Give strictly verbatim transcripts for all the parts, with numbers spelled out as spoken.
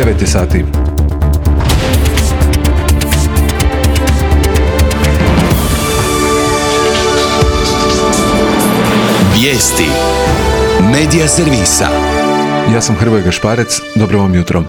devet je sati. Vijesti Medija servisa. Ja sam Hrvoje Gašparec, dobro vam jutro.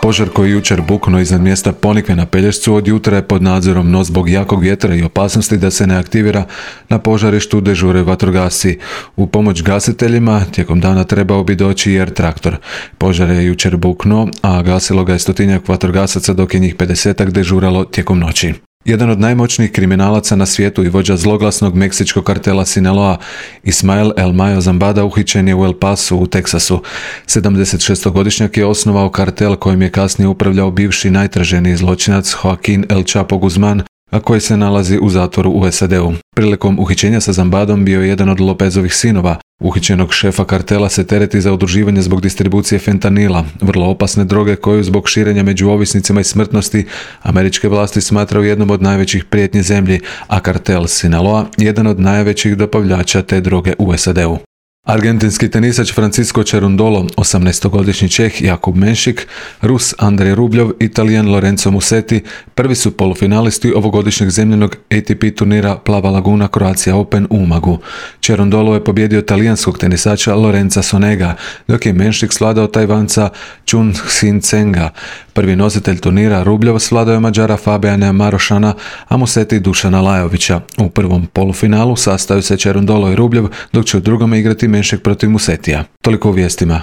Požar koji jučer buknuo iznad mjesta Ponikve na Pelješcu od jutra je pod nadzorom, no zbog jakog vjetra i opasnosti da se ne aktivira na požarištu dežure vatrogasci. U pomoć gasiteljima tijekom dana trebao bi doći jer traktor. Požar je jučer buknuo, a gasilo ga je stotinjak vatrogasaca dok je njih pedesetak dežuralo tijekom noći. Jedan od najmoćnijih kriminalaca na svijetu i vođa zloglasnog meksičkog kartela Sinaloa, Ismael El Mayo Zambada, uhićen je u El Pasu u Teksasu. sedamdesetšestogodišnjak je osnovao kartel kojim je kasnije upravljao bivši najtraženiji zločinac Joaquin El Chapo Guzman, a koji se nalazi u zatvoru u S A D-u. Prilikom uhićenja sa Zambadom bio je jedan od Lopezovih sinova. Uhićenog šefa kartela se tereti za udruživanje zbog distribucije fentanila, vrlo opasne droge koju zbog širenja među ovisnicima i smrtnosti američke vlasti smatraju jednom od najvećih prijetnji zemlji, a kartel Sinaloa jedan od najvećih dobavljača te droge u S A D-u. Argentinski tenisač Francisco Cerundolo, osamnaestogodišnji Čeh Jakub Menšik, Rus Andrej Rubljov i Talijan Lorenzo Musetti prvi su polufinalisti ovogodišnjeg zemljenog A T P turnira Plava Laguna Croatia Open u Umagu. Cerundolo je pobjedio talijanskog tenisača Lorenza Sonega, dok je Menšik svladao Tajvanca Chun Hsin Tsenga. Prvi nositelj turnira Rubljov svladao je Mađara Fabiana Marošana, a Musetti Dušana Lajovića. U prvom polufinalu sastaju se Cerundolo i Rubljov, dok će u drugome igrati Menšik protiv Musettija. Toliko u vijestima.